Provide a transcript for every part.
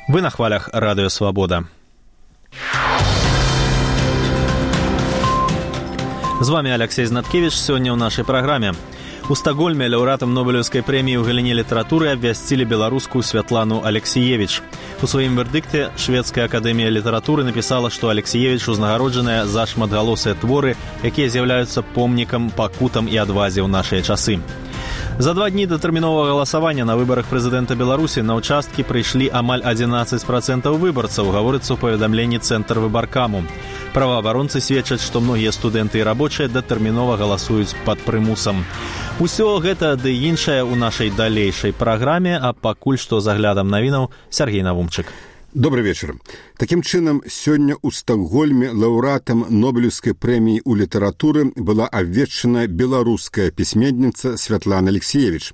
Вы на хвалях Радио Свобода. З вами Алексей Знаткевич. Сёння ў нашай праграме. У Стокгольме лаўрэатам Нобелеўскай прэміі ў галіне літаратуры абвясцілі беларускую Святлану Алексіевіч. У сваім вердыкце Шведская акадэмія літаратуры напісала, што Алексіевіч узнагароджаная за шматгалосыя творы, якія з'яўляюцца помнікам, пакутам і адвазе ў нашыя часы. За 2 дні да тэрміновага галасавання на выбарах прэзідэнта Беларусі на ўчасткі прыйшлі амаль 11% выбарцаў, гаворыцца ў паведамленні Цэнтр выбаркаму. Праваабаронцы сведчаць, што многія студэнты і рабочыя датэрмінова галасуюць пад прымусам. Усё гэта ды іншае ў нашай далейшай праграме, а пакуль што з аглядам навінаў Сергей Навумчык. Добрый вечер. Таким чынам, сёння ў Стокгольме лаўрэатам Нобелеўскай прэміі ў літаратуры была абвешчана беларуская пісьменніца Святлана Алексіевіч.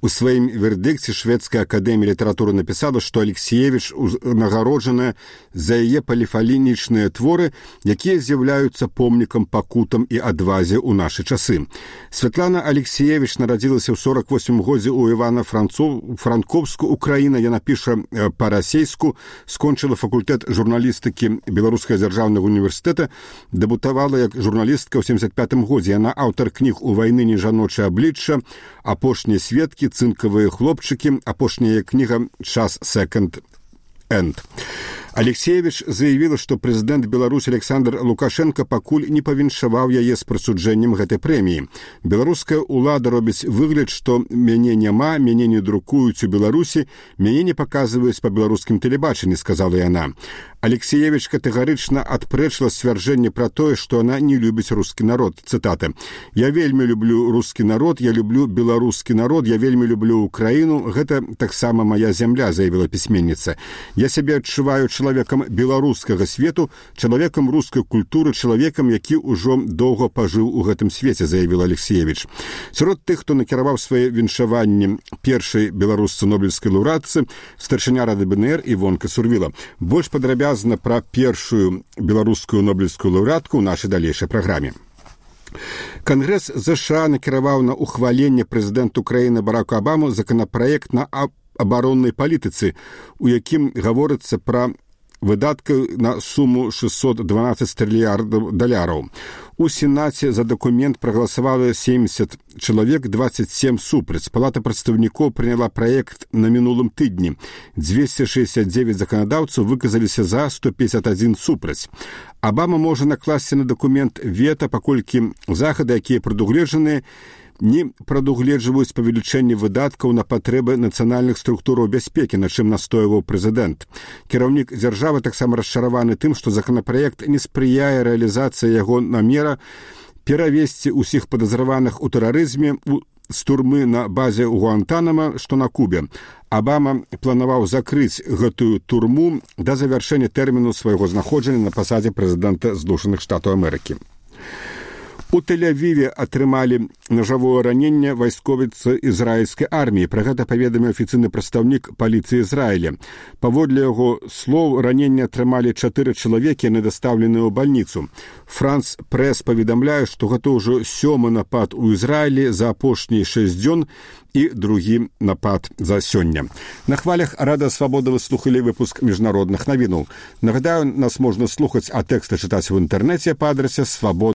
У сваім вердыкце Шведская акадэмія літаратуры напісала, што Алексіевіч узнагароджаная за яе паліфалінічныя творы, якія з'яўляюцца помнікам, пакутам і адвазе ў нашы часы. Святлана Алексіевіч нарадзілася ў 48 годзе ў Івана-Франковску, Украіна. Яна піша па-расейску, скончыла факультэт журналістыкі Беларускага дзяржаўнага універсітэта, дэбутавала як журналістка ў 75 годзе. Яна аўтар кніг «У вайны не жаночае аблічча», «Апошнія сведкі», «Цынкавыя хлопчыкі», апошняя кніга «Час секонд-энд». Алексіевіч заявіла, што прэзідэнт Беларусі Александр Лукашенко пакуль не павіншаваў яе з прысуджэннем гэтай прэміі. Беларуская ўлада робіць выгляд, што мяне няма, мяне не друкуюць у Беларусі, мяне не паказваюць па беларускім тэлебачанні, сказала яна. Алексіевіч катэгарычна адпрэчыла сцвярджэнне пра тое, што она не любіць рускі народ. Цытата. «Я вельмі люблю рускі народ, я люблю беларускі народ, я вельмі люблю Украіну. Гэта таксама мая зямля», заявіла пісьменніца. «Я сябе адчуваю чалавекам беларускага свету, чалавекам рускай культуры, чалавекам, які ўжо доўга пажыў у гэтым свеце», заявіла Алексіевіч. Сярод тых, хто накіраваў свае віншаванні першай беларусцы нобелеўскай лаўрэатцы, старшыня Рады БНР Івонка Сурвіла. Больш падрабязна пра першую беларускую нобелеўскую лаўрэатку ў нашай далейшай праграме. Кангрэс ЗША накіраваў на ухваленне прэзідэнту краіны Бараку Абаму законапраект на абароннай палітыцы, у якім гаворыцца пра выдаткі на суму 612 трыльярдаў даляраў. У Сенаце за дакумент прагаласавала 70 чалавек, 27 супраць. Палата прадстаўнікоў прыняла праект на мінулым тыдні. 269 заканадаўцаў выказаліся за, 151 супраць. Абама можа накласці на дакумент вета, паколькі захады, якія прадугледжаныя, не прадугледжваюць павелічэнне выдаткаў на патрэбы нацыянальных структураў бяспекі, на чым настойваў прэзідэнт. Кіраўнік дзяржавы таксама расчараваны тым, што законапраект не спрыяе рэалізацыі яго намера перавесці ўсіх падазраваных у тэрарызме з турмы на базе Гуантанама, што на Кубе. Абама планаваў закрыць гэтую турму да завяршэння тэрміну свайго знаходжання на пасадзе прэзідэнта Злучаных Штатаў Амерыкі. У Тель-Авіве атрымалі нажавое раненне вайсковіцы ізраільскай арміі. Пра гэта паведаміў афіцыйны прадстаўнік паліцыі Ізраіля. Паводле яго слоў, раненне атрымалі 4 чалавекі, яны дастаўленыя ў бальніцу. Франс Прэс паведамляе, што гэта ўжо 7-й напад у Ізраілі за апошнія 6 дзён і другі напад за сёння. На хвалях Радыё Свабода вы слухалі выпуск міжнародных навінаў. Нагадаю, нас можна слухаць, а тэксты чытаць у інтэрнэце па адрасе свабода.